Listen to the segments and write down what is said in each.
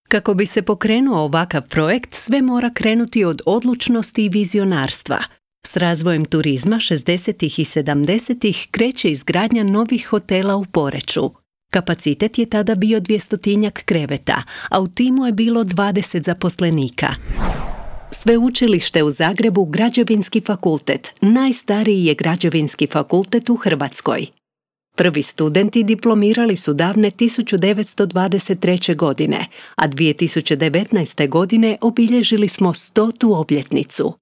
Kako bi se pokrenuo ovakav projekt, sve mora krenuti od odlučnosti i vizionarstva. S razvojem turizma 60. i 70. kreće izgradnja novih hotela u Poreču. Kapacitet je tada bio 200-tinjak kreveta, a u timu je bilo 20 zaposlenika. Sveučilište u Zagrebu, Građevinski fakultet, najstariji je građevinski fakultet u Hrvatskoj. Prvi studenti diplomirali su davne 1923. godine, a 2019. godine obilježili smo 100. obljetnicu.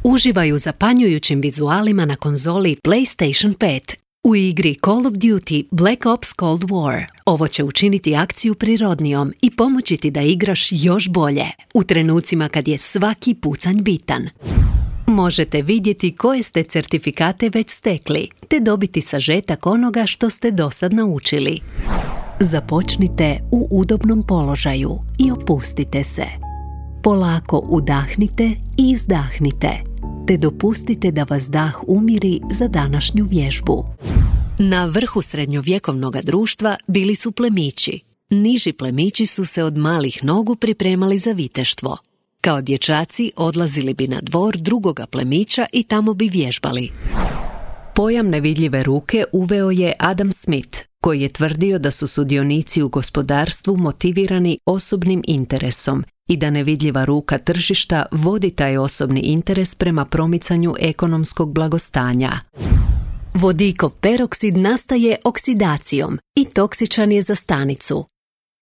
Uživaj u zapanjujućim vizualima na konzoli PlayStation 5 u igri Call of Duty Black Ops Cold War. Ovo će učiniti akciju prirodnijom i pomoći ti da igraš još bolje, u trenucima kad je svaki pucanj bitan. Možete vidjeti koje ste certifikate već stekli, te dobiti sažetak onoga što ste dosad naučili. Započnite u udobnom položaju i opustite se. Polako udahnite i izdahnite, te dopustite da vas dah umiri za današnju vježbu. Na vrhu srednjovjekovnog društva bili su plemići. Niži plemići su se od malih nogu pripremali za viteštvo. Kao dječaci odlazili bi na dvor drugoga plemića i tamo bi vježbali. Pojam nevidljive ruke uveo je Adam Smith, koji je tvrdio da su sudionici u gospodarstvu motivirani osobnim interesom i da nevidljiva ruka tržišta vodi taj osobni interes prema promicanju ekonomskog blagostanja. Vodikov peroksid nastaje oksidacijom i toksičan je za stanicu.